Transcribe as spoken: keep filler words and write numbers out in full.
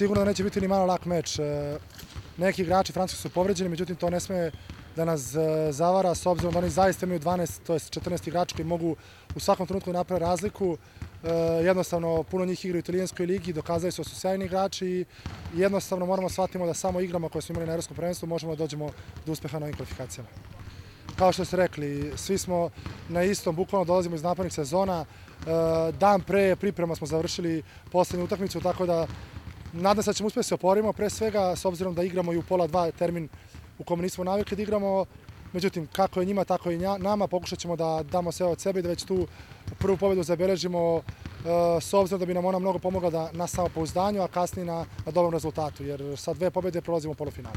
sigurno da neće biti ni malo lak meč. Neki igrači Francuske su povređeni, međutim to ne sme da nas zavara s obzirom da oni zaista imaju dvanaest, to je četrnaest igrača koji mogu u svakom trenutku napraviti razliku. Jednostavno, puno njih igra u italijanskoj ligi, dokazali su da su sjajni igrači i jednostavno moramo shvatiti da samo igrama koje smo imali na evropskom prvenstvu možemo da dođemo do uspeha na ovim kvalifikacijama. Kao što ste rekli, svi smo na istom, bukvalno dolazimo iz napornih sezona. Dan pre priprema smo završili poslednju utakmicu, tako da nadam se da ćemo uspjeti se oporimo, pre svega s obzirom da igramo i u pola dva termin u kome nismo navikli da igramo. Međutim, kako je njima, tako i nama, pokušat ćemo da damo sve od sebe i da već tu prvu pobedu zabeležimo s obzirom da bi nam ona mnogo pomogla na samopouzdanju, a kasnije na dobrom rezultatu, jer sa dve pobede prolazimo u polufinale.